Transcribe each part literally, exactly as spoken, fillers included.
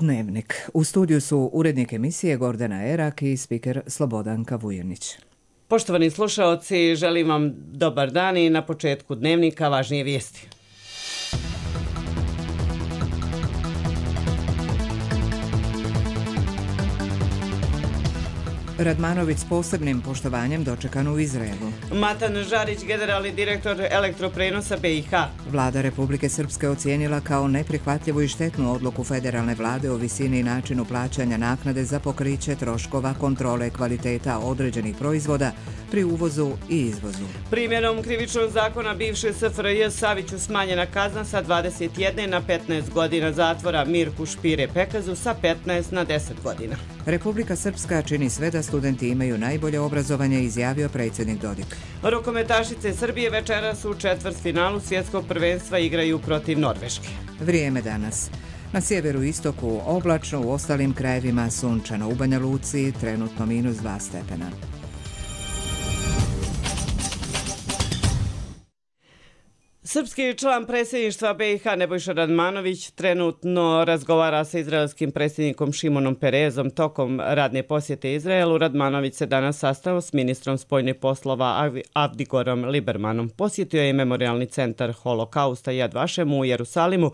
Dnevnik. U studiju su urednik emisije Gordana Erak i spiker Slobodanka Vujanić. Poštovani slušaoci, želim vam dobar dan i na početku Dnevnika važnije vijesti. Radmanović s posebnim poštovanjem dočekan u Izraelu. Matan Žarić, generalni direktor Elektroprenosa B i H. Vlada Republike Srpske ocijenila kao neprihvatljivu i štetnu odluku federalne vlade o visini i načinu plaćanja naknade za pokriće troškova kontrole kvaliteta određenih proizvoda pri uvozu i izvozu. Primjenom krivičnog zakona bivše S F R J Saviću smanjena kazna sa dvadeset jedne na petnaest godina zatvora, Mirku Špire Pekazu sa petnaest na deset godina. Republika Srpska čini sve da studenti imaju najbolje obrazovanje, izjavio predsjednik Dodik. Rukometašice Srbije večeras u četvrtfinalu svjetskog prvenstva igraju protiv Norveške. Vrijeme danas. Na sjeveru i istoku oblačno, u ostalim krajevima sunčano. U Banja Luci trenutno minus dva stepena. Srpski član predsjedništva B i H Nebojša Radmanović trenutno razgovara sa izraelskim predsjednikom Šimonom Perezom tokom radne posjete Izraelu. Radmanović se danas sastao s ministrom spoljnih poslova Avdigorom Libermanom. Posjetio je memorialni centar Holokausta Jad Vašem u Jerusalimu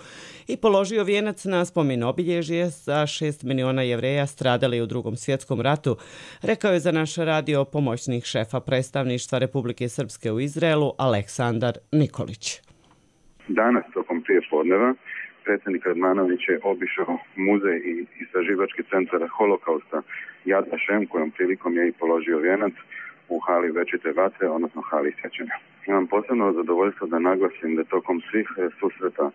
i položio vijenac na spomen obilježje za šest miliona Jevreja stradali u Drugom svjetskom ratu, rekao je za naš radio pomoćnik šefa predstavništva Republike Srpske u Izraelu Aleksandar Nikolić. Danas, tokom prijepodneva, predsjednik Radmanović je obišao muzej i istraživački centar Holokausta Jad Vašem, kojom prilikom je i položio vijenac u hali Večite vatre, odnosno hali sjećanja. Imam posebno zadovoljstvo da naglasim da tokom svih susreta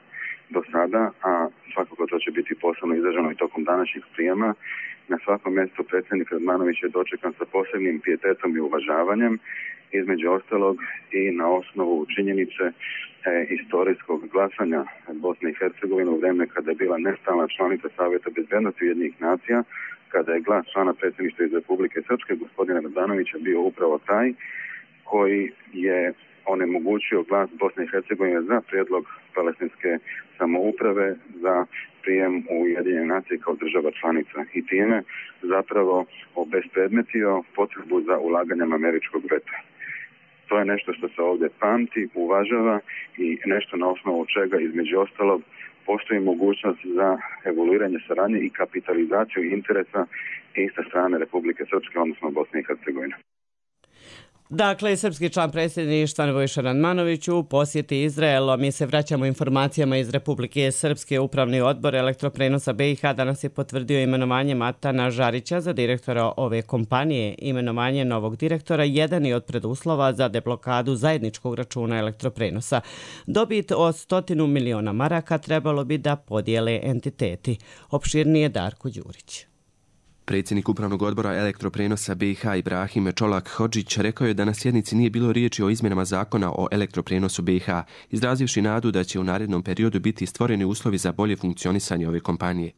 do sada, a svakako to će biti posebno izraženo i tokom današnjih prijema, na svakom mjestu predsjednik Radmanović je dočekan sa posebnim pijetetom i uvažavanjem, između ostalog i na osnovu činjenice e, istorijskog glasanja Bosne i Hercegovine u vrijeme kada je bila nestalna članica Savjeta bezbednosti Ujedinjenih nacija, kada je glas člana predsjedništva iz Republike Srpske, gospodina Radmanovića, bio upravo taj koji je onemogućio glas Bosne i Hercegovine za prijedlog palestinske samouprave za prijem u Ujedinjene nacije kao država članica i time zapravo obespredmetio potrebu za ulaganjem američkog veta. To je nešto što se ovdje pamti, uvažava i nešto na osnovu čega između ostalog postoji mogućnost za evoluiranje saradnje i kapitalizaciju interesa iste strane Republike Srpske, odnosno Bosne i Hercegovine. Dakle, srpski član predsjedništva Nebojša Radmanović u posjeti Izraelu. Mi se vraćamo informacijama iz Republike Srpske. Upravni odbor Elektroprenosa B i H danas je potvrdio imenovanje Matana Žarića za direktora ove kompanije. Imenovanje novog direktora jedan je od preduslova za deblokadu zajedničkog računa Elektroprenosa. Dobit od stotinu miliona maraka trebalo bi da podijele entiteti. Opširnije Darko Đurić. Predsjednik Upravnog odbora Elektroprenosa B i H Ibrahim Čolak Hodžić rekao je da na sjednici nije bilo riječi o izmjenama zakona o Elektroprenosu B i H, izrazivši nadu da će u narednom periodu biti stvoreni uslovi za bolje funkcionisanje ove kompanije.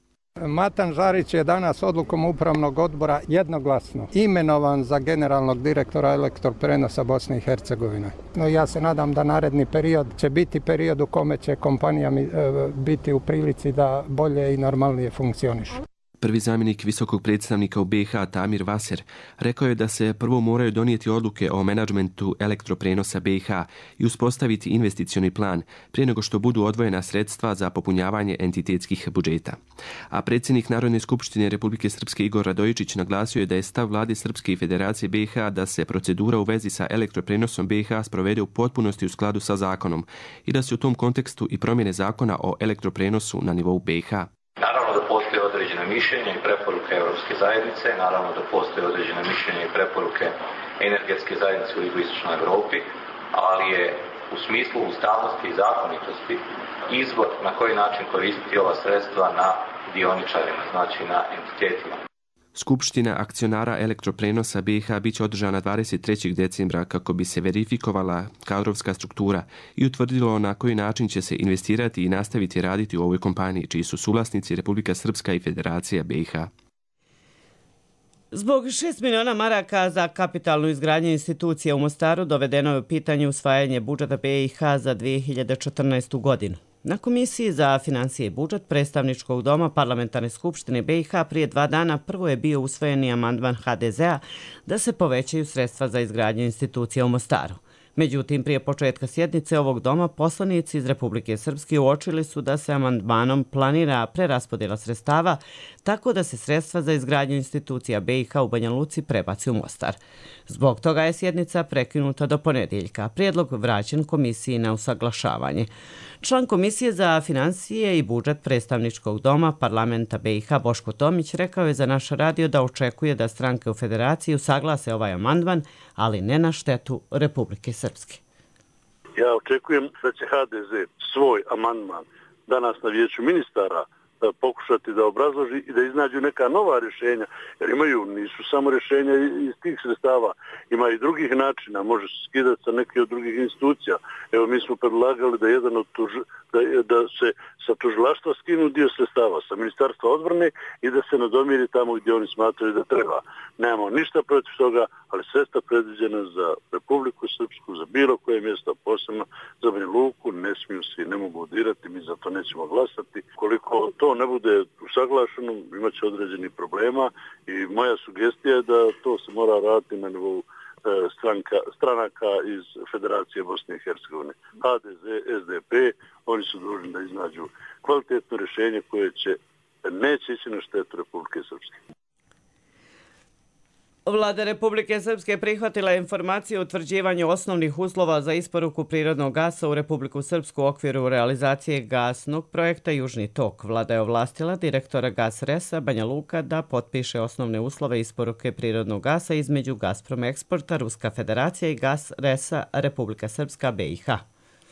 Matan Žarić je danas odlukom Upravnog odbora jednoglasno imenovan za generalnog direktora Elektroprenosa Bosne i Hercegovine. No, ja se nadam da naredni period će biti period u kome će kompanija biti u prilici da bolje i normalnije funkcioniše. Prvi zamjenik visokog predstavnika u B i H Tamir Vaser rekao je da se prvo moraju donijeti odluke o menadžmentu Elektroprenosa B i H i uspostaviti investicioni plan prije nego što budu odvojena sredstva za popunjavanje entitetskih budžeta. A predsjednik Narodne skupštine Republike Srpske Igor Radojičić naglasio je da je stav vlade Srpske i Federacije B i H da se procedura u vezi sa Elektroprenosom B i H sprovede u potpunosti u skladu sa zakonom i da se u tom kontekstu i promjene zakona o Elektroprenosu na nivou B i H. Naravno da postoje određene mišljenja i preporuke Europske zajednice, naravno da postoje određene mišljenja i preporuke energetske zajednice u jugoistočnoj Europi, ali je u smislu ustavnosti i zakonitosti izbor na koji način koristiti ova sredstva na dioničarima, znači na entitetima. Skupština akcionara Elektroprenosa B i H bit će održana dvadeset trećeg decembra kako bi se verifikovala kadrovska struktura i utvrdilo na koji način će se investirati i nastaviti raditi u ovoj kompaniji, čiji su suvlasnici Republika Srpska i Federacija B i H. Zbog šest miliona maraka za kapitalnu izgradnju institucije u Mostaru dovedeno je u pitanje usvajanje budžeta B i H za dvije hiljade četrnaestu godinu. Na Komisiji za financije i budžet Predstavničkog doma Parlamentarne skupštine B i H prije dva dana prvo je bio usvojeni amandman H D Z-a da se povećaju sredstva za izgradnju institucija u Mostaru. Međutim, prije početka sjednice ovog doma poslanici iz Republike Srpske uočili su da se amandmanom planira preraspodjela sredstava tako da se sredstva za izgradnju institucija B i H u Banja Luci prebaci u Mostar. Zbog toga je sjednica prekinuta do ponedjeljka, prijedlog vraćen komisiji na usaglašavanje. Član Komisije za financije i budžet Predstavničkog doma Parlamenta B i H Boško Tomić rekao je za naš radio da očekuje da stranke u federaciji usaglase ovaj amandman, ali ne na štetu Republike Srpske. Ja očekujem da će H D Z svoj amandman danas na vijeću ministara pokušati da obrazloži i da iznađu neka nova rješenja, jer imaju, nisu samo rješenja iz tih sredstava, ima i drugih načina, može se skidati sa neke od drugih institucija. Evo, mi smo predlagali da jedan od tuž, da, da se sa tužilaštva skinu dio sredstava, sa ministarstva odbrane i da se nadomiri tamo gdje oni smatraju da treba. Nemamo ništa protiv toga, ali sredstva predviđena za Republiku Srpsku, za bilo koje mjesto, posebno za Banja Luku, ne smiju se i ne mogu dirati, mi za to nećemo glasati. Koliko to ne bude usaglašeno, imat će određenih problema i moja sugestija je da to se mora raditi na nivou stranka, stranaka iz Federacije Bosne i Hercegovine. H D Z, S D P, oni su dužni da iznađu kvalitetno rješenje koje će neće ići na štetu Republike Srpske. Vlada Republike Srpske prihvatila informaciju o utvrđivanju osnovnih uslova za isporuku prirodnog gasa u Republiku Srpsku u okviru realizacije gasnog projekta Južni tok. Vlada je ovlastila direktora Gas Resa Banja Luka da potpiše osnovne uslove isporuke prirodnog gasa između Gazprom Eksporta, Ruska federacija i Gas Resa Republika Srpska B i H.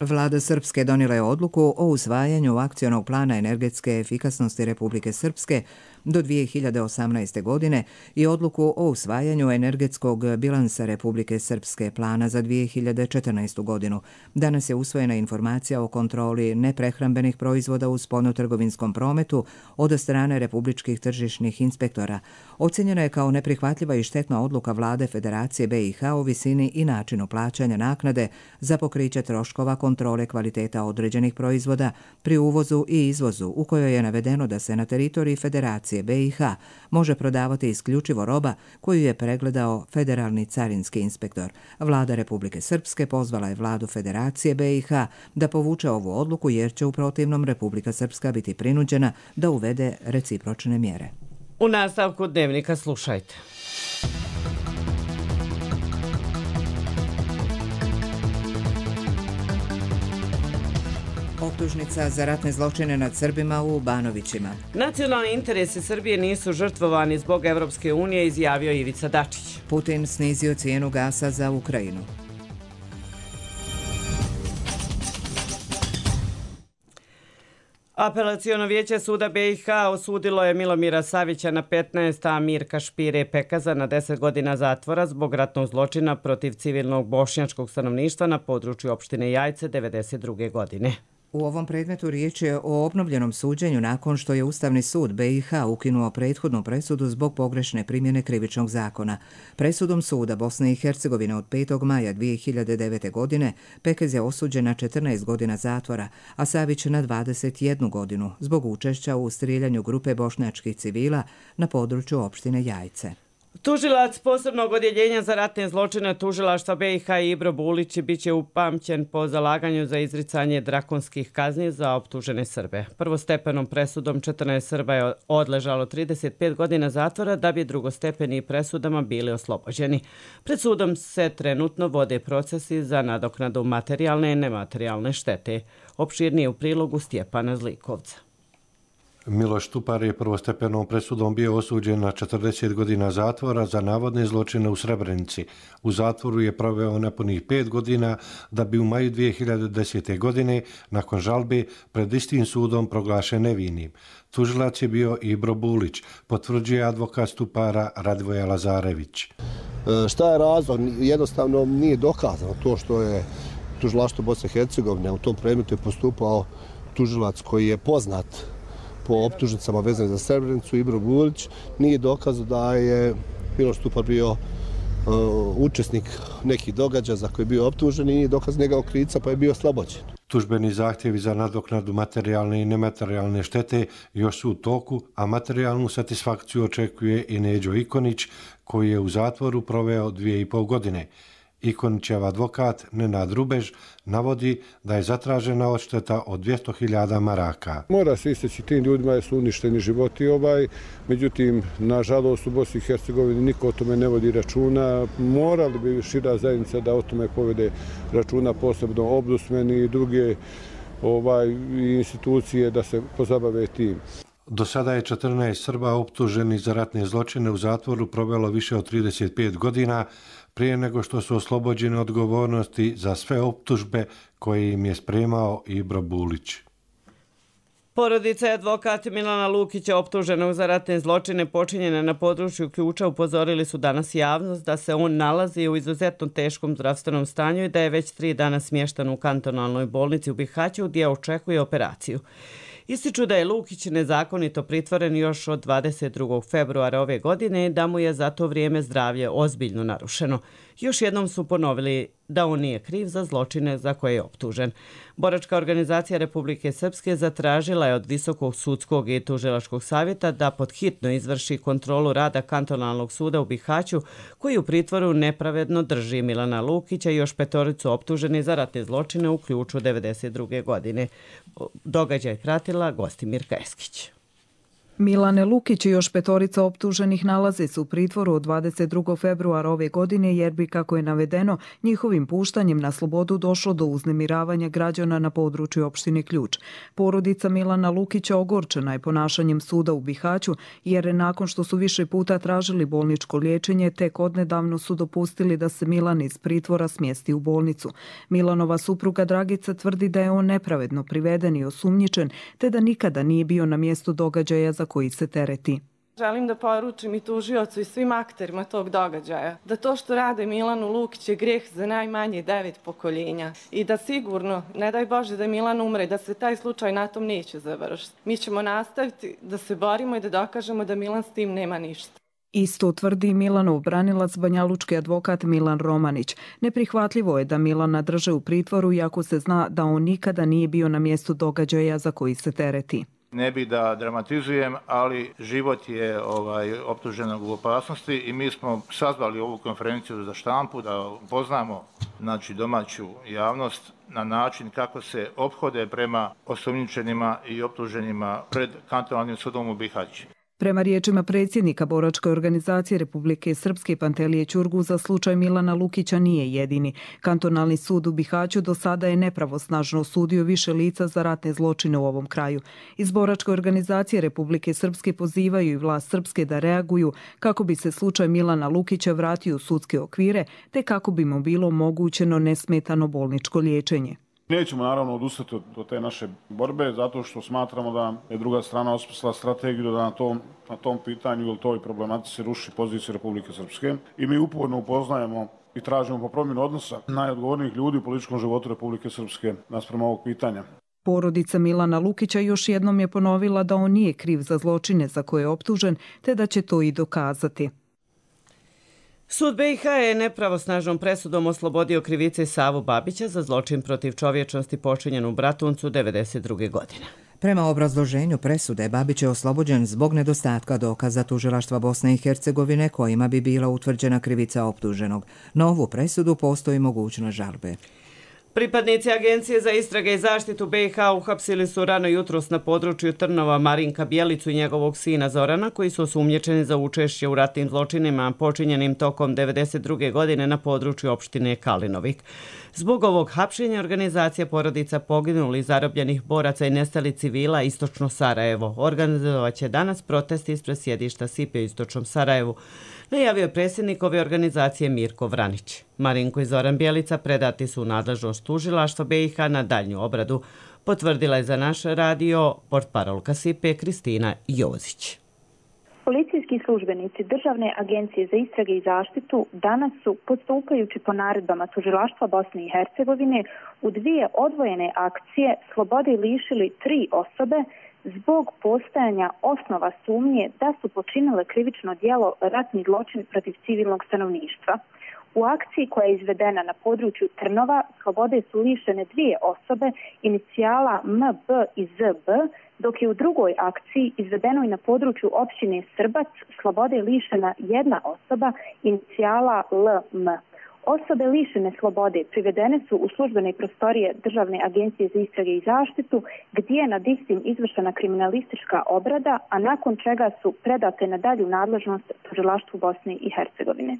Vlada Srpske donijela je odluku o usvajanju akcionog plana energetske efikasnosti Republike Srpske do dvije hiljade osamnaeste. godine i odluku o usvajanju energetskog bilansa Republike Srpske plana za dvije hiljade četrnaestu. godinu. Danas je usvojena informacija o kontroli neprehrambenih proizvoda u spoljnotrgovinskom prometu od strane republičkih tržišnih inspektora. Ocenjena je kao neprihvatljiva i štetna odluka Vlade Federacije B i H o visini i načinu plaćanja naknade za pokriće troškova kontrole kvaliteta određenih proizvoda pri uvozu i izvozu, u kojoj je navedeno da se na teritoriji Federacije B i H može prodavati isključivo roba koju je pregledao federalni carinski inspektor. Vlada Republike Srpske pozvala je Vladu Federacije B i H da povuče ovu odluku jer će u protivnom Republika Srpska biti prinuđena da uvede recipročne mjere. U nastavku Dnevnika slušajte. Optužnica za ratne zločine nad Srbima u Banovićima. Nacionalni interesi Srbije nisu žrtvovani zbog Evropske unije, izjavio Ivica Dačić. Putin snizio cijenu gasa za Ukrajinu. Apelaciono vijeće suda B i H osudilo je Milomira Savića na petnaest, a Mirka Špire Pekaza na deset godina zatvora zbog ratnog zločina protiv civilnog bošnjačkog stanovništva na području opštine Jajce devedeset druge. godine. U ovom predmetu riječ je o obnovljenom suđenju nakon što je Ustavni sud B i H ukinuo prethodnu presudu zbog pogrešne primjene krivičnog zakona. Presudom suda Bosne i Hercegovine od petog maja dvije hiljade devete. godine Pekez je osuđen na četrnaest godina zatvora, a Savić na dvadeset jednu godinu zbog učešća u strijeljanju grupe bošnjačkih civila na području opštine Jajce. Tužilac posebnog odjeljenja za ratne zločine tužilaštva B i H Ibro Bulić biće upamćen po zalaganju za izricanje drakonskih kazni za optužene Srbe. Prvostepenom presudom četrnaest Srba je odležalo trideset pet godina zatvora da bi drugostepeni presudama bili oslobođeni. Pred sudom se trenutno vode procesi za nadoknadu materijalne i nematerijalne štete. Opširnije u prilogu Stjepana Zlikovca. Miloš Tupar je prvostepenom presudom bio osuđen na četrdeset godina zatvora za navodne zločine u Srebrenici. U zatvoru je proveo nepunih pet godina da bi u maju dvije hiljade desete. godine nakon žalbe pred istim sudom proglašen nevinim. Tužilac je bio Ibro Bulić, potvrđuje advokat Stupara Radvoja Lazarević. E, šta je razlog? Jednostavno nije dokazano to što je tužilaštvo Bosne i Hercegovine u tom predmetu je postupao tužilac koji je poznat po optužnicama vezane za Srebrenicu, Ibro Bulić, nije dokazao da je Miloš Tupar bio uh, učesnik nekih događaja za koje je bio optužen i nije dokaz njegov krivica pa je bio oslobođen. Tužbeni zahtjevi za nadoknadu materijalne i nematerijalne štete još su u toku, a materijalnu satisfakciju očekuje i Neđo Ikonić, koji je u zatvoru proveo dvije i pol godine. Ikonićev advokat Nenad Rubež navodi da je zatražena odšteta od dvjesto hiljada maraka. Mora se isteći tim ljudima jer su uništeni životi ovaj, međutim, nažalost u Bosni i Hercegovini niko o tome ne vodi računa. Morali bi šira zajednica da o tome povede računa, posebno ombudsmeni i druge ovaj, institucije da se pozabave tim. Do sada je četrnaest Srba optuženih za ratne zločine u zatvoru provelo više od trideset pet godina, prije nego što su oslobođeni odgovornosti za sve optužbe koje im je spremao Ibro Bulić. Porodica i advokat Milana Lukića, optuženog za ratne zločine počinjene na području Ključa, upozorili su danas javnost da se on nalazi u izuzetno teškom zdravstvenom stanju i da je već tri dana smještan u kantonalnoj bolnici u Bihaću gdje očekuje operaciju. Ističu da je Lukić nezakonito pritvoren još od dvadeset drugog februara ove godine i da mu je za to vrijeme zdravlje ozbiljno narušeno. Još jednom su ponovili da on nije kriv za zločine za koje je optužen. Boračka organizacija Republike Srpske zatražila je od Visokog sudskog i tužilačkog savjeta da podhitno izvrši kontrolu rada kantonalnog suda u Bihaću, koji u pritvoru nepravedno drži Milana Lukića i još petoricu optuženi za ratne zločine u Ključu devedeset druge godine. Događaj pratila Gostimirka Eskić. Milane Lukić i još petorica optuženih nalaze se u pritvoru od dvadeset drugog februara ove godine jer bi, kako je navedeno, njihovim puštanjem na slobodu došlo do uznemiravanja građana na području opštine Ključ. Porodica Milana Lukića ogorčena je ponašanjem suda u Bihaću jer nakon što su više puta tražili bolničko liječenje, tek odnedavno su dopustili da se Milan iz pritvora smjesti u bolnicu. Milanova supruga Dragica tvrdi da je on nepravedno priveden i osumnjičen, te da nikada nije bio na mjestu događaja za koji se tereti. Želim da poručim i tužiocu i svim akterima tog događaja da to što rade Milanu Lukić je grijeh za najmanje devet pokoljenja i da sigurno, ne daj Bože da Milan umre, da se taj slučaj na tom neće završiti. Mi ćemo nastaviti da se borimo i da dokažemo da Milan s tim nema ništa. Isto tvrdi Milanov branilac, banjalučki advokat Milan Romanić. Neprihvatljivo je da Milana drže u pritvoru iako se zna da on nikada nije bio na mjestu događaja za koji se tereti. Ne bi da dramatizujem, ali život je ovaj, optuženog u opasnosti i mi smo sazvali ovu konferenciju za štampu da upoznamo znači, domaću javnost na način kako se ophode prema osumnjičenima i optuženima pred kantonalnim sudom u Bihaći. Prema riječima predsjednika Boračke organizacije Republike Srpske Pantelije Ćurguza, slučaj Milana Lukića nije jedini. Kantonalni sud u Bihaću do sada je nepravosnažno osudio više lica za ratne zločine u ovom kraju. Iz Boračke organizacije Republike Srpske pozivaju i vlast Srpske da reaguju kako bi se slučaj Milana Lukića vratio u sudske okvire, te kako bi mu bilo omogućeno nesmetano bolničko liječenje. Nećemo naravno odustati od te naše borbe zato što smatramo da je druga strana osmislila strategiju da na tom, na tom pitanju ili toj problematici ruši poziciju Republike Srpske i mi uporno upoznajemo i tražimo po promjenu odnosa najodgovornijih ljudi u političkom životu Republike Srpske naspram ovog pitanja. Porodica Milana Lukića još jednom je ponovila da on nije kriv za zločine za koje je optužen, te da će to i dokazati. Sud B i H je nepravosnažnom presudom oslobodio krivice Savu Babića za zločin protiv čovječnosti počinjen u Bratuncu devedeset druge godine. Prema obrazloženju presude, Babić je oslobođen zbog nedostatka dokaza tužilaštva Bosne i Hercegovine kojima bi bila utvrđena krivica optuženog. Na ovu presudu postoji mogućnost žalbe. Pripadnici Agencije za istrage i zaštitu B i H uhapsili su rano jutros na području Trnova Marinka Bjelicu i njegovog sina Zorana, koji su osumnjičeni za učešće u ratnim zločinima počinjenim tokom devedeset druge godine na području opštine Kalinovik. Zbog ovog hapšenja organizacija porodica poginulih, zarobljenih boraca i nestali civila Istočno Sarajevo organizovaće danas protest ispred sjedišta S I P-a u Istočnom Sarajevu, najavio je predsjednik ove organizacije Mirko Vranić. Marinko i Zoran Bjelica predati su u nadležnost tužilaštva B i H na daljnju obradu, potvrdila je za naš radio portparolka S I P-a Kristina Jozić. Policijski službenici Državne agencije za istrage i zaštitu danas su, postupajući po naredbama tužilaštva Bosne i Hercegovine, u dvije odvojene akcije slobode lišili tri osobe zbog postojanja osnova sumnje da su počinile krivično djelo ratni zločin protiv civilnog stanovništva. U akciji koja je izvedena na području Trnova slobode su lišene dvije osobe inicijala M, B i Z B, dok je u drugoj akciji izvedenoj na području općine Srbac slobode lišena jedna osoba inicijala L M. Osobe lišene slobode privedene su u službene prostorije Državne agencije za istrage i zaštitu, gdje je nad istim izvršena kriminalistička obrada, a nakon čega su predate na dalju nadležnost tužilaštvu Bosne i Hercegovine.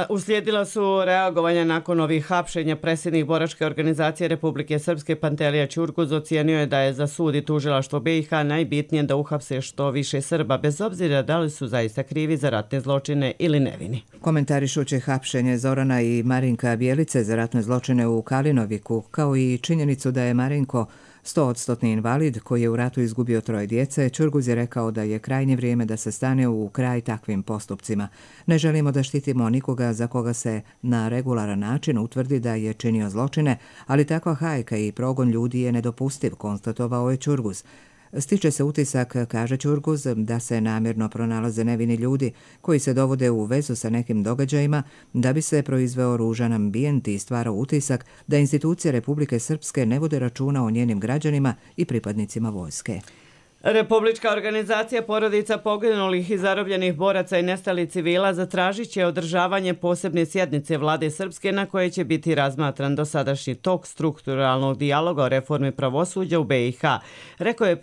Uslijedila su reagovanja nakon ovih hapšenja. Predsjednik boračke organizacije Republike Srpske Pantelija Ćurguz ocijenio je da je za sud i tužilaštvo B i H najbitnije da uhapse što više Srba, bez obzira da li su zaista krivi za ratne zločine ili nevini. Komentarišući hapšenje Zorana i Marinka Bjelice za ratne zločine u Kalinoviku, kao i činjenicu da je Marinko stoodstotni invalid koji je u ratu izgubio troje djece, Ćurguz je rekao da je krajnje vrijeme da se stane u kraj takvim postupcima. Ne želimo da štitimo nikoga za koga se na regularan način utvrdi da je činio zločine, ali takva hajka i progon ljudi je nedopustiv, konstatovao je Ćurguz. Stiče se utisak, kaže Ćurguz, da se namjerno pronalaze nevini ljudi koji se dovode u vezu sa nekim događajima da bi se proizveo ružan ambijent i stvarao utisak da institucije Republike Srpske ne vode računa o njenim građanima i pripadnicima vojske. Republička organizacija porodica poginulih i zarobljenih boraca i nestalih civila zatražit će održavanje posebne sjednice Vlade Srpske na koje će biti razmatran dosadašnji tok strukturalnog dijaloga o reformi pravosuđa u B i H, rekao je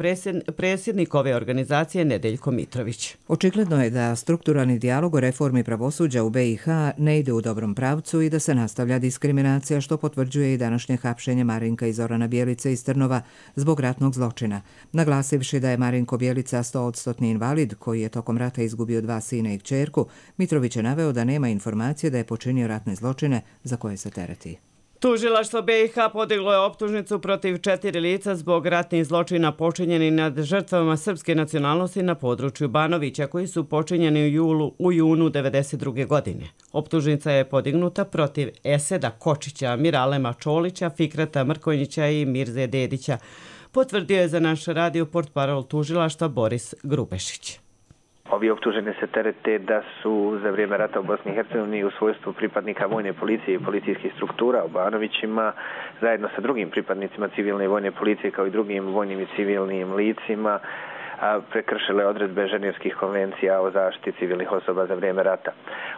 predsjednik ove organizacije Nedeljko Mitrović. Očigledno je da strukturalni dijalog o reformi pravosuđa u B i H ne ide u dobrom pravcu i da se nastavlja diskriminacija, što potvrđuje i današnje hapšenje Marinka i Zorana Bjelice iz Trnova zbog ratnog zločina. Naglasivši da je Marinko Bjelica stoodstotni invalid koji je tokom rata izgubio dva sina i kćerku, Mitrović je naveo da nema informacije da je počinio ratne zločine za koje se tereti. Tužilaštvo B i H podiglo je optužnicu protiv četiri lica zbog ratnih zločina počinjenih nad žrtvama srpske nacionalnosti na području Banovića, koji su počinjeni u julu u junu devedeset druge. godine. Optužnica je podignuta protiv Eseda Kočića, Miralema Čolića, Fikrata Mrkonjića i Mirze Dedića, potvrdio je za naš radio portparol tužilaštva Boris Grubešić. Ovi optuženi se terete da su za vrijeme rata u Bosni i Hercegovini u svojstvu pripadnika vojne policije i policijskih struktura u Banovićima zajedno sa drugim pripadnicima civilne i vojne policije kao i drugim vojnim i civilnim licima prekršile odredbe Ženevskih konvencija o zaštiti civilnih osoba za vrijeme rata.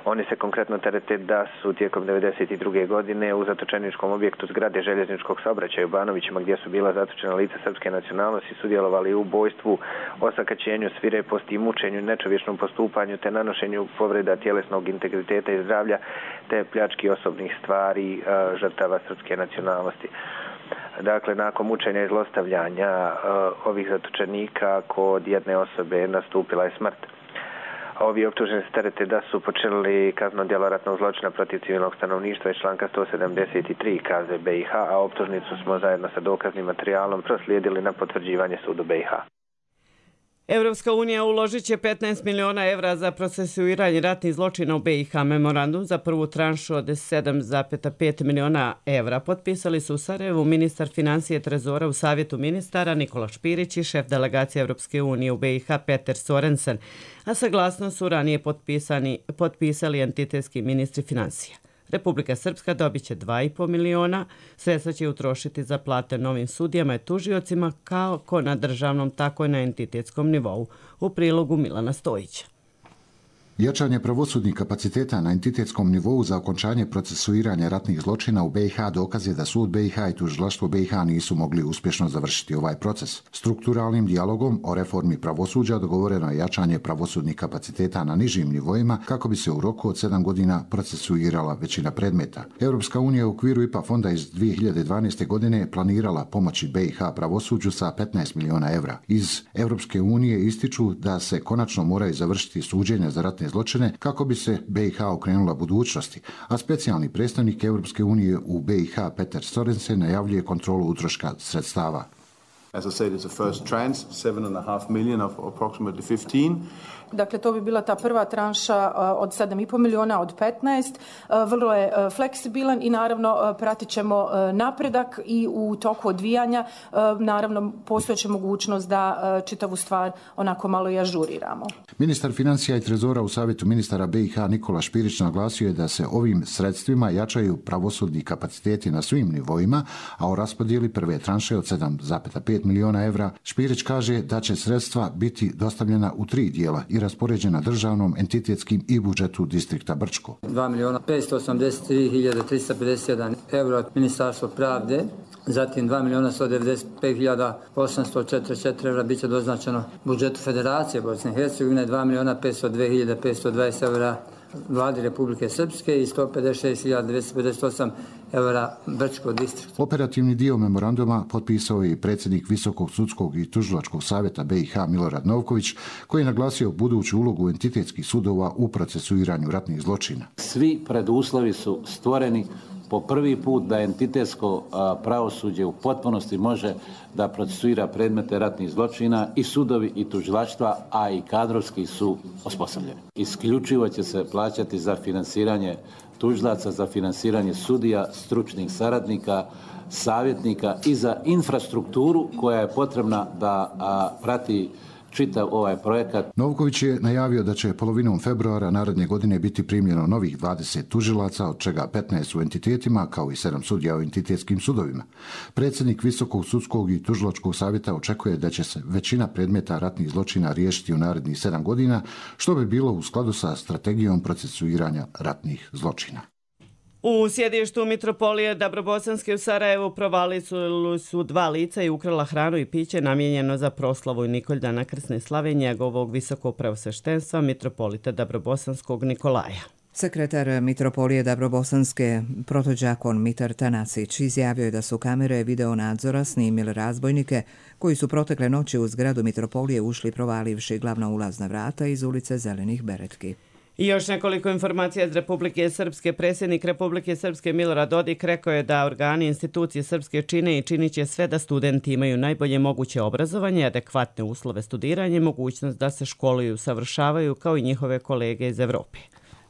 Oni se konkretno terete da su tijekom devedeset druge. godine u zatočeničkom objektu zgrade željezničkog saobraćaja u Banovićima, gdje su bila zatočena lica srpske nacionalnosti, sudjelovali u ubojstvu, osakaćenju, svireposti i mučenju, nečovječnom postupanju te nanošenju povreda tjelesnog integriteta i zdravlja te pljački osobnih stvari žrtava srpske nacionalnosti. Dakle, nakon mučenja i zlostavljanja uh, ovih zatočenika kod jedne osobe nastupila je smrt. Ovi optuženi se terete da su počinili kazneno djelo ratnog zločina protiv civilnog stanovništva iz članka sto sedamdeset tri K Z B i H, a optužnicu smo zajedno sa dokaznim materijalom proslijedili na potvrđivanje sudu B i H. Evropska unija uložit će petnaest miliona evra za procesuiranje ratnih zločina u B i H. Memorandum za prvu tranšu od sedam zarez pet miliona evra potpisali su u Sarajevu ministar financije Trezora u Savjetu ministara Nikola Špirić i šef delegacije Evropske unije u B i H Peter Sorensen, a saglasnost su ranije potpisani, potpisali entitetski ministri financija. Republika Srpska dobit će dva i po miliona, sredstva će utrošiti za plate novim sudijama i tužiocima kako na državnom, tako i na entitetskom nivou. U prilogu Milana Stojića. Jačanje pravosudnih kapaciteta na entitetskom nivou za okončanje procesuiranja ratnih zločina u B i H dokaz je da sud B i H i tužilaštvo B i H nisu mogli uspješno završiti ovaj proces. Strukturalnim dijalogom o reformi pravosuđa dogovoreno je jačanje pravosudnih kapaciteta na nižim nivoima kako bi se u roku od sedam godina procesuirala većina predmeta. Europska unija u okviru I P A fonda iz dvije hiljade dvanaeste. godine planirala pomoći B i H pravosuđu sa petnaest miliona evra. Iz Europske unije ističu da se konačno moraju završiti suđenja za ratne zločine kako bi se B i H okrenula budućnosti, a specijalni predstavnik Europske unije u B i H Peter Sorensen najavljuje kontrolu utroška sredstava. As I said, it's a first tranche, seven and a half million of approximately fifteen. Dakle, to bi bila ta prva tranša od sedam i pol miliona, od petnaest. Vrlo je fleksibilan i naravno pratit ćemo napredak i u toku odvijanja naravno postojeće mogućnost da čitavu stvar onako malo i ažuriramo. Ministar financija i trezora u Savjetu ministara B i H Nikola Špirić naglasio je da se ovim sredstvima jačaju pravosudni kapaciteti na svim nivoima, a o raspodijeli prve tranše od sedam zarez pet miliona evra Špirić kaže da će sredstva biti dostavljena u tri dijela i raspoređena državnom, entitetskim i budžetu distrikta Brčko. dva miliona petsto osamdeset tri hiljade trista pedeset jedan eura od Ministarstva pravde, zatim dva miliona sto devedeset pet hiljada osamsto četrdeset četiri eura biće doznačeno budžetu Federacije Bosne i Hercegovine, dva miliona petsto dve hiljade petsto dvadeset eura vladi Republike Srpske i sto pedeset šest hiljada dvjesto pedeset osam eura Brčko distrikt. Operativni dio memoranduma potpisao je i predsjednik Visokog sudskog i tužilačkog savjeta B i H Milorad Novković, koji je naglasio buduću ulogu entitetskih sudova u procesuiranju ratnih zločina. Svi preduslovi su stvoreni po prvi put da entitetsko pravosuđe u potpunosti može da procesuira predmete ratnih zločina i sudovi i tužilaštva, a i kadrovski su osposobljeni. Isključivo će se plaćati za finansiranje tužilaca, za finansiranje sudija, stručnih saradnika, savjetnika i za infrastrukturu koja je potrebna da a, prati čitav ovaj projekat. Novković je najavio da će polovinom februara naredne godine biti primljeno novih dvadeset tužilaca, od čega petnaest u entitetima, kao i sedam sudija u entitetskim sudovima. Predsjednik Visokog sudskog i tužilačkog savjeta očekuje da će se većina predmeta ratnih zločina riješiti u narednih sedam godina, što bi bilo u skladu sa strategijom procesuiranja ratnih zločina. U sjedištu Mitropolije Dabrobosanske u Sarajevu provali su, su dva lica i ukrala hranu i piće namijenjeno za proslavu Nikoldana krsne slave njegovog visokog preosveštenstva Mitropolita Dabrobosanskog Nikolaja. Sekretar Mitropolije Dabrobosanske, protođakon Mitar Tanasić, izjavio je da su kamere video nadzora snimile razbojnike koji su protekle noći u zgradu Mitropolije ušli provalivši glavna ulazna vrata iz ulice Zelenih Beretki. I još nekoliko informacija iz Republike Srpske. Predsjednik Republike Srpske Milorad Dodik rekao je da organi institucije Srpske čine i činit će sve da studenti imaju najbolje moguće obrazovanje, adekvatne uslove studiranja i mogućnost da se školuju i usavršavaju kao i njihove kolege iz Evrope.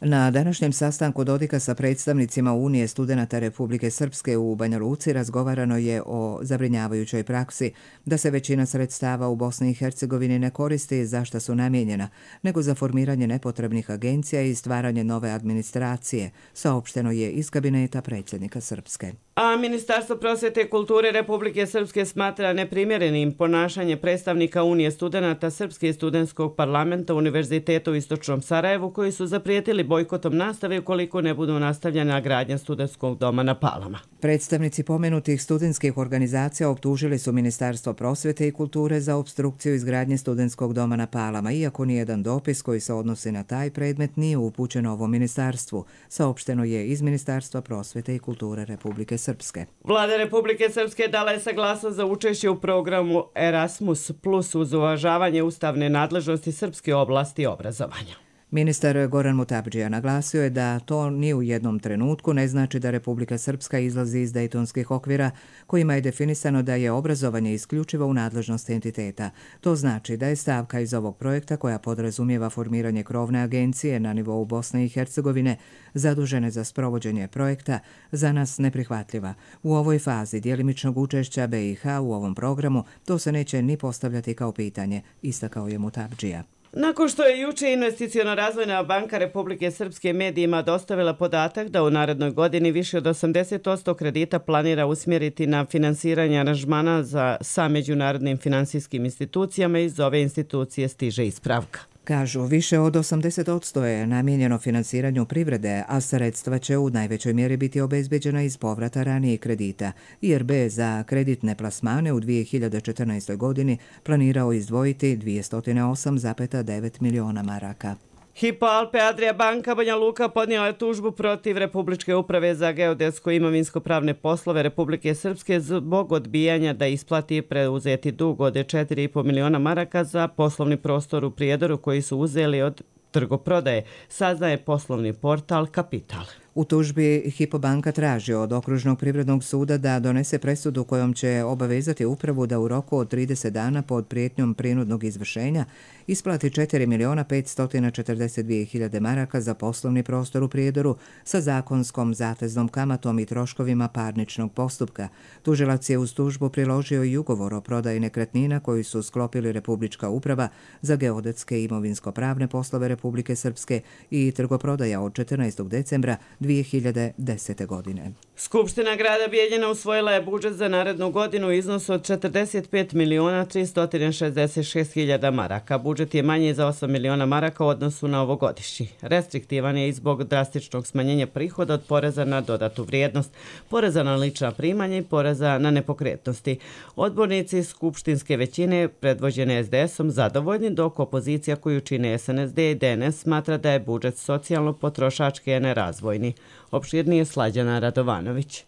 Na današnjem sastanku Dodika sa predstavnicima Unije studenata Republike Srpske u Banja Luci razgovarano je o zabrinjavajućoj praksi da se većina sredstava u Bosni i Hercegovini ne koristi za šta su namijenjena, nego za formiranje nepotrebnih agencija i stvaranje nove administracije, saopšteno je iz kabineta predsjednika Srpske. A Ministarstvo prosvjete i kulture Republike Srpske smatra neprimjerenim ponašanje predstavnika Unije studenata Srpske i studentskog parlamenta Univerziteta u Istočnom Sarajevu, koji su zaprijetili bojkotom nastave ukoliko ne budu nastavljena gradnja studentskog doma na Palama. Predstavnici pomenutih studentskih organizacija optužili su Ministarstvo prosvjete i kulture za opstrukciju izgradnje studentskog doma na Palama, iako nijedan dopis koji se odnosi na taj predmet nije upućen ovom ministarstvu, saopšteno je iz Ministarstva prosvjete i kulture Republike Srpske. Vlada Republike Srpske dala je saglasnost za učešće u programu Erasmus plus uz uvažavanje ustavne nadležnosti srpske oblasti obrazovanja. Ministar Goran Mutabdžija naglasio je da to ni u jednom trenutku ne znači da Republika Srpska izlazi iz dejtonskih okvira kojima je definisano da je obrazovanje isključivo u nadležnosti entiteta. To znači da je stavka iz ovog projekta, koja podrazumijeva formiranje krovne agencije na nivou Bosne i Hercegovine zadužene za sprovođenje projekta, za nas neprihvatljiva. U ovoj fazi djelimičnog učešća B i H u ovom programu to se neće ni postavljati kao pitanje, istakao je Mutabdžija. Nakon što je juče Investiciono razvojna banka Republike Srpske medijima dostavila podatak da u narednoj godini više od osamdeset posto kredita planira usmjeriti na finansiranje aranžmana za, sa međunarodnim finansijskim institucijama, iz ove institucije stiže ispravka. Kažu, više od osamdeset posto je namijenjeno finansiranju privrede, a sredstva će u najvećoj mjeri biti obezbeđena iz povrata ranijih kredita. I R B za kreditne plasmane u dvije hiljade četrnaestoj godini planirao izdvojiti dvjesto osam zarez devet miliona maraka. Hypo Alpe Adria banka Banja Luka podnijela je tužbu protiv Republičke uprave za geodetsko i imovinsko-pravne poslove Republike Srpske zbog odbijanja da isplati preuzeti dug od četiri i pol miliona maraka za poslovni prostor u Prijedoru koji su uzeli od trgoprodaje, saznaje poslovni portal Kapital. U tužbi Hypo banka traži od Okružnog privrednog suda da donese presudu kojom će obavezati upravu da u roku od trideset dana pod prijetnjom prinudnog izvršenja isplati četiri miliona petsto četrdeset dvije hiljade maraka za poslovni prostor u Prijedoru sa zakonskom zateznom kamatom i troškovima parničnog postupka. Tužilac je uz tužbu priložio i ugovor o prodaji nekretnina koji su sklopili Republička uprava za geodetske i imovinsko-pravne poslove Republike Srpske i trgoprodaja od četrnaestog decembra dvije hiljade desete. godine. Skupština grada Bijeljina usvojila je budžet za narednu godinu u iznosu od četrdeset pet miliona tristo šezdeset šest hiljada maraka. Budžet je manji za osam miliona maraka u odnosu na ovogodišnji. Restriktivan je i zbog drastičnog smanjenja prihoda od poreza na dodatu vrijednost, poreza na lična primanja i poreza na nepokretnosti. Odbornici skupštinske većine, predvođene es de esom, zadovoljni, dok opozicija koju čine es en es de i de en es smatra da je budžet socijalno-potrošački, a ne razvojni. Opširnije Slađana Radovanović.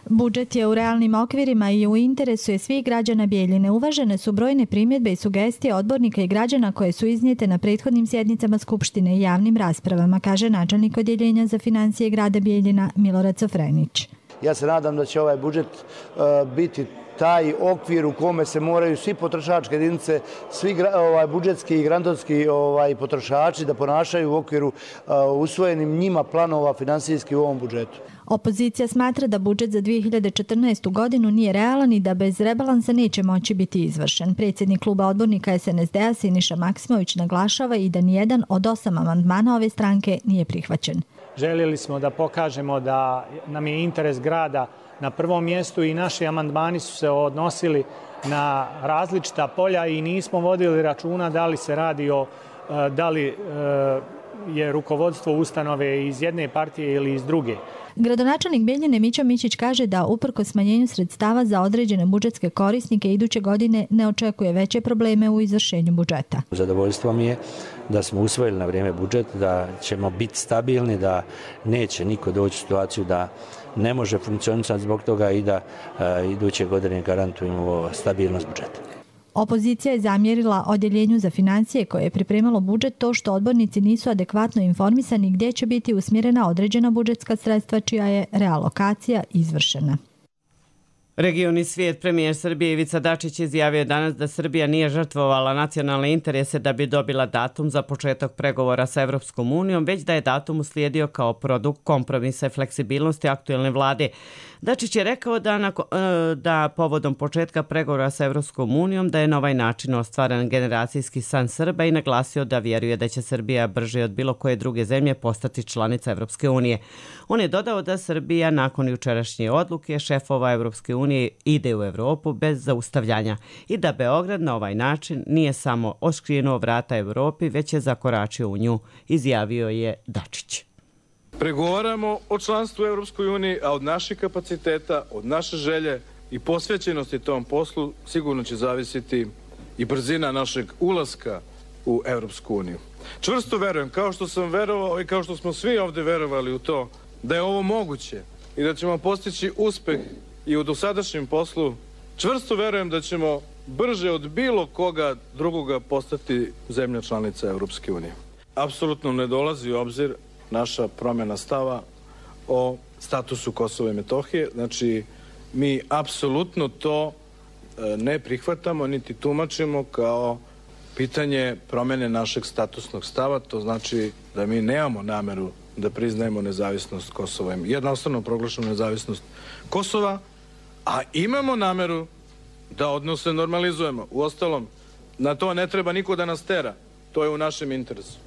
Budžet je u realnim okvirima i u interesu je svih građana Bijeljine. Uvažene su brojne primjedbe i sugestije odbornika i građana koje su iznijete na prethodnim sjednicama Skupštine i javnim raspravama, kaže načelnik odjeljenja za financije grada Bijeljina Milorad Sofrenić. Ja se nadam da će ovaj budžet uh, biti taj okvir u kome se moraju svi potrošačke jedinice, svi ovaj, budžetski i grantovski ovaj, potrošači da ponašaju u okviru uh, usvojenim njima planova finansijski u ovom budžetu. Opozicija smatra da budžet za dvije hiljade četrnaestu. godinu nije realan i da bez rebalansa neće moći biti izvršen. Predsjednik kluba odbornika es en es de-a Siniša Maksimović naglašava i da nijedan od osam amandmana ove stranke nije prihvaćen. Željeli smo da pokažemo da nam je interes grada na prvom mjestu i naši amandmani su se odnosili na različita polja i nismo vodili računa da li se radi o da li je rukovodstvo ustanove iz jedne partije ili iz druge. Gradonačelnik Bijeljine Mićo Mićić kaže da uprkos smanjenju sredstava za određene budžetske korisnike iduće godine ne očekuje veće probleme u izvršenju budžeta. Zadovoljstvo mi je da smo usvojili na vrijeme budžet, da ćemo biti stabilni, da neće niko doći u situaciju da ne može funkcionisati zbog toga i da a, iduće godine garantujemo stabilnost budžeta. Opozicija je zamjerila odjeljenju za financije koje je pripremalo budžet to što odbornici nisu adekvatno informisani gdje će biti usmjerena određena budžetska sredstva čija je realokacija izvršena. Regioni svijet, premijer Srbije Ivica Dačić izjavio danas da Srbija nije žrtvovala nacionalne interese da bi dobila datum za početak pregovora sa Evropskom unijom, već da je datum uslijedio kao produkt kompromisa i fleksibilnosti aktuelne vlade. Dačić je rekao da, na, da povodom početka pregovora sa Evropskom unijom da je na ovaj način ostvaren generacijski san Srba i naglasio da vjeruje da će Srbija brže od bilo koje druge zemlje postati članica Evropske unije. On je dodao da Srbija nakon jučerašnje odluke šefova Evropske unije ide u Evropu bez zaustavljanja i da Beograd na ovaj način nije samo oškrinuo vrata Evropi, već je zakoračio u nju, izjavio je Dačić. Pregovaramo o članstvu u Evropskoj uniji, a od naših kapaciteta, od naše želje i posvećenosti tom poslu sigurno će zavisiti i brzina našeg ulaska u Evropsku uniju. Čvrsto verujem, kao što sam verovao i kao što smo svi ovdje verovali u to, da je ovo moguće i da ćemo postići uspeh i u dosadašnjem poslu, čvrsto verujem da ćemo brže od bilo koga drugoga postati zemlja članica Evropske unije. Apsolutno ne dolazi u obzir naša promjena stava o statusu Kosova i Metohije. Znači, mi apsolutno to ne prihvatamo, niti tumačimo kao pitanje promjene našeg statusnog stava. To znači da mi nemamo nameru da priznajemo nezavisnost Kosova, jednostavno proglašenu nezavisnost Kosova, a imamo nameru da odnose normalizujemo. Uostalom, na to ne treba niko da nas tera. To je u našem interesu.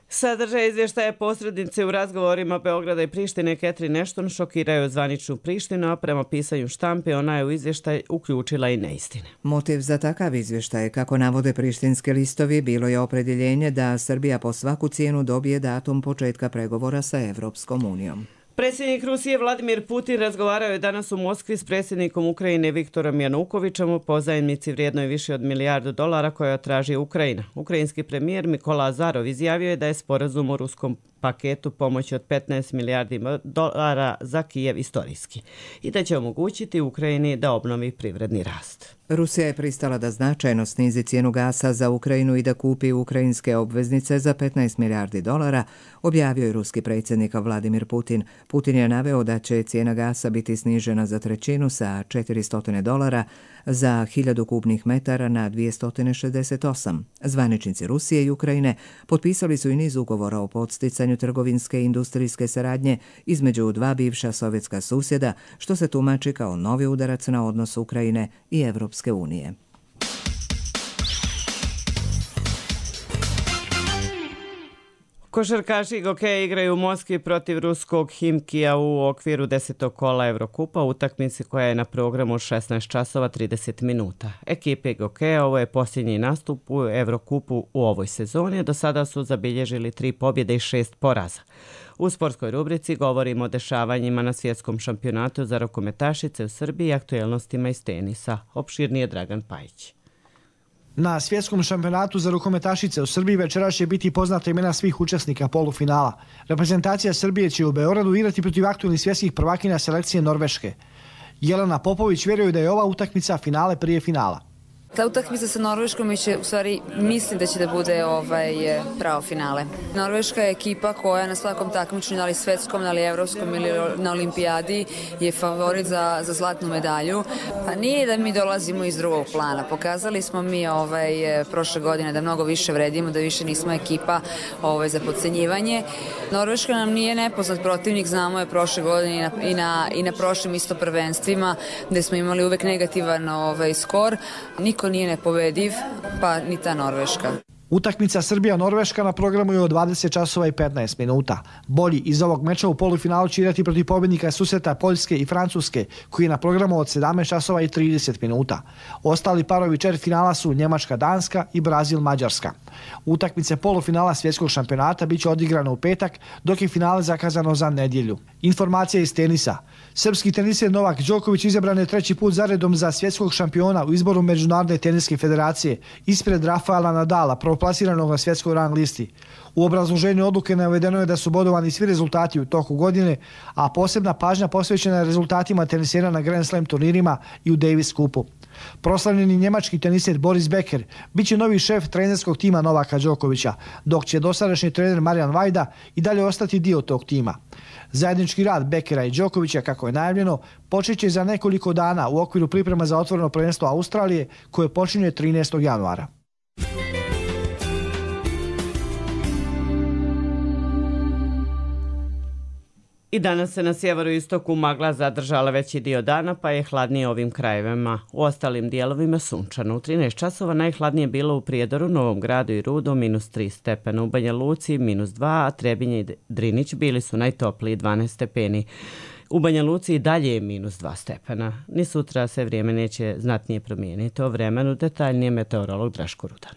Sadržaj izvještaja posrednice u razgovorima Beograda i Prištine Catherine Ashton šokiraju zvaničnu Prištinu, a prema pisanju štampe ona je u izvještaj uključila i neistine. Motiv za takav izvještaj, kako navode prištinski listovi, bilo je opredjeljenje da Srbija po svaku cijenu dobije datum početka pregovora sa Evropskom unijom. Predsjednik Rusije Vladimir Putin razgovarao je danas u Moskvi s predsjednikom Ukrajine Viktorom Janukovićem o pozajmici vrijednoj više od milijardu dolara koja traži Ukrajina. Ukrajinski premijer Mikola Azarov izjavio je da je sporazum o ruskom paketu pomoći od petnaest milijardi dolara za Kijev istorijski i da će omogućiti Ukrajini da obnovi privredni rast. Rusija je pristala da značajno snizi cijenu gasa za Ukrajinu i da kupi ukrajinske obveznice za petnaest milijardi dolara, objavio je ruski predsjednik Vladimir Putin. Putin je naveo da će cijena gasa biti snižena za trećinu sa četiristo dolara za hiljadu kubnih metara na dvjesto šezdeset osam. Zvaničnici Rusije i Ukrajine potpisali su i niz ugovora o podsticanju trgovinske i industrijske saradnje između dva bivša sovjetska susjeda, što se tumači kao novi udarac na odnos Ukrajine i Evropske unije. Košarkaši Gokeja igraju u Moskvi protiv ruskog Himkija u okviru desetog kola Evrokupa, utakmici koja je na programu šesnaest časova trideset minuta. Ekipe Gokeja ovo je posljednji nastup u Evrokupu u ovoj sezoni, do sada su zabilježili tri pobjede i šest poraza. U sportskoj rubrici govorimo o dešavanjima na svjetskom šampionatu za rukometašice u Srbiji i aktuelnostima iz tenisa. Opširnije Dragan Pajić. Na svjetskom šampionatu za rukometašice u Srbiji večeras će biti poznata imena svih učesnika polufinala. Reprezentacija Srbije će u Beogradu igrati protiv aktuelnih svjetskih prvakinja selekcije Norveške. Jelena Popović vjeruje da je ova utakmica finale prije finala. Ta utakmica sa Norveškom će, u stvari, mislim da će da bude ovaj pravo finale. Norveška je ekipa koja na svakom takmičenju, da li svetskom, da li evropskom ili na olimpijadi, je favorit za, za zlatnu medalju. Pa nije da mi dolazimo iz drugog plana. Pokazali smo mi ovaj, prošle godine da mnogo više vredimo, da više nismo ekipa ovaj, za podcenjivanje. Norveška nam nije nepoznat protivnik, znamo je prošle godine i na, i na, i na prošlim isto prvenstvima, gde smo imali uvek negativan ovaj, skor. Niko nije nepobediv, pa ni ta Norveška. Utakmica Srbija-Norveška na programu je od dvadeset časova i petnaest minuta. Bolji iz ovog meča u polufinalu će igrati protiv pobjednika susreta Poljske i Francuske, koji je na programu od sedamnaest časova i trideset minuta. Ostali parovi četvrtfinala su Njemačka-Danska i Brazil-Mađarska. Utakmice polufinala svjetskog šampionata biće odigrane u petak, dok je finale zakazano za nedjelju. Informacija iz tenisa. Srpski teniser Novak Đoković izabran je treći put zaredom za svjetskog šampiona u izboru Međunarodne teniske federacije, ispred Rafaela Nadala, prvoplasiranog na svjetskoj rang listi. U obrazloženju odluke navedeno je da su bodovani svi rezultati u toku godine, a posebna pažnja posvećena je rezultatima tenisera na Grand Slam turnirima i u Davis Cupu. Proslavljeni njemački teniser Boris Becker biće novi šef trenerskog tima Novaka Đokovića, dok će dosadašnji trener Marijan Vajda i dalje ostati dio tog tima. Zajednički rad Beckera i Đokovića, kako je najavljeno, počeće za nekoliko dana u okviru priprema za otvoreno prvenstvo Australije, koje počinje trinaestog januara. I danas se na sjeveroistoku magla zadržala veći dio dana, pa je hladnije ovim krajevima. U ostalim dijelovima sunčano. U trinaest časova najhladnije bilo u Prijedoru, Novom Gradu i Rudo, minus tri stepena. U Banja Luci minus dva, a Trebinje i Drinić bili su najtopliji dvanaest stepeni. U Banja Luci i dalje je minus dva stepena. Ni sutra se vrijeme neće znatnije promijeniti. O vremenu detaljnije meteorolog Draško Rudan.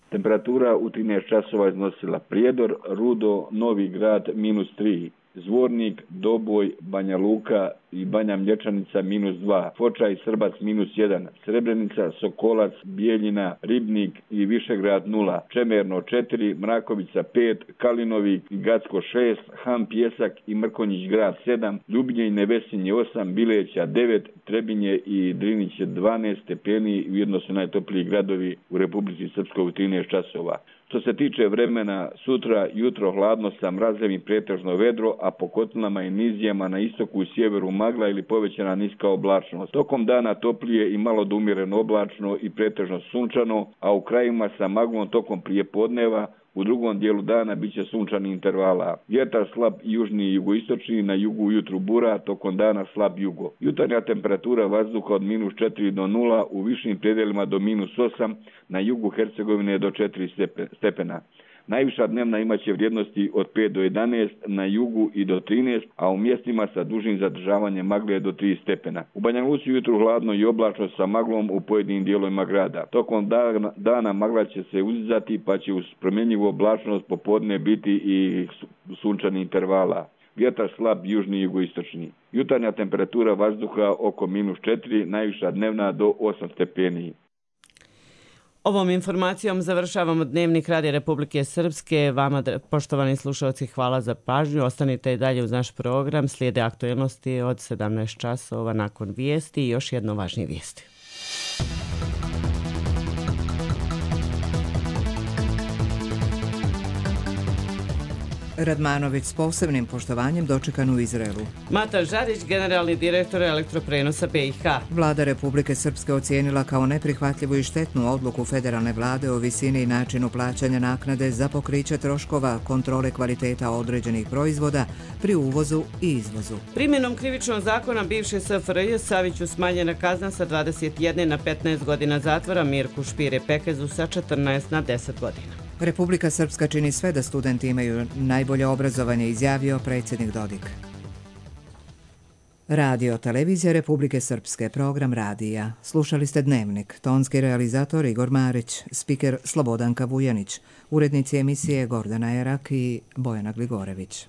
Temperatura u trinaest časova iznosila Prijedor, Rudo, Novi Grad minus tri. Zvornik, Doboj, Banja Luka i Banja Mlječanica minus dva, Foča i Srbac minus jedan, Srebrenica, Sokolac, Bijeljina, Ribnik i Višegrad nula, Čemerno četiri, Mrakovica pet, Kalinovi i Gacko šest, Han Pjesak i Mrkonjić grad sedam, Ljubinje i Nevesinje osam, Bileća devet, Trebinje i Drinić dvanaest stepeni, ujedno su najtopliji gradovi u Republici Srpskoj u trinaest časova. Što se tiče vremena, sutra jutro hladno sa mrazem i pretežno vedro, a po kotlinama i nizijama na istoku i sjeveru magla ili povećana niska oblačnost. Tokom dana toplije i malo do umjereno oblačno i pretežno sunčano, a u krajima sa maglom tokom prijepodneva, u drugom dijelu dana bit će sunčani intervala. Vjetar slab južni i jugoistočni, na jugu ujutru bura, tokom dana slab jugo. Jutarnja temperatura vazduha od minus četiri do nula, u višim predjelima do minus osam, na jugu Hercegovine do četiri stepena. Najviša dnevna imaće vrijednosti od pet do jedanaest, na jugu i do trinaest, a u mjestima sa dužim zadržavanjem magle do tri stepena. U Banja Luci jutru hladno i oblačno sa maglom u pojedinim dijelovima grada. Tokom dana, dana magla će se uzdizati, pa će uz promjenjivu oblačnost popodne biti i sunčani intervala. Vjetar slab južni i jugoistočni. Jutarnja temperatura vazduha oko minus četiri, najviša dnevna do osam stepeni. Ovom informacijom završavamo Dnevnik Radija Republike Srpske. Vama, poštovani slušalci, hvala za pažnju. Ostanite i dalje uz naš program. Slijede aktuelnosti od sedamnaest časova nakon vijesti i još jedno važnije vijesti. Radmanović s posebnim poštovanjem dočekan u Izraelu. Mata Žarić, generalni direktor Elektroprenosa B i H. Vlada Republike Srpske ocijenila kao neprihvatljivu i štetnu odluku federalne vlade o visini i načinu plaćanja naknade za pokriće troškova kontrole kvaliteta određenih proizvoda pri uvozu i izvozu. Primjenom krivičnog zakona bivše S F R J Saviću smanjena kazna sa dvadeset jedne na petnaest godina zatvora, Mirku Špire Pekezu sa četrnaest na deset godina. Republika Srpska čini sve da studenti imaju najbolje obrazovanje, izjavio predsjednik Dodik. Radio televizija Republike Srpske, program radija. Slušali ste Dnevnik, tonski realizator Igor Marić, spiker Slobodanka Vujanić, urednici emisije Gordana Erak i Bojana Gligorević.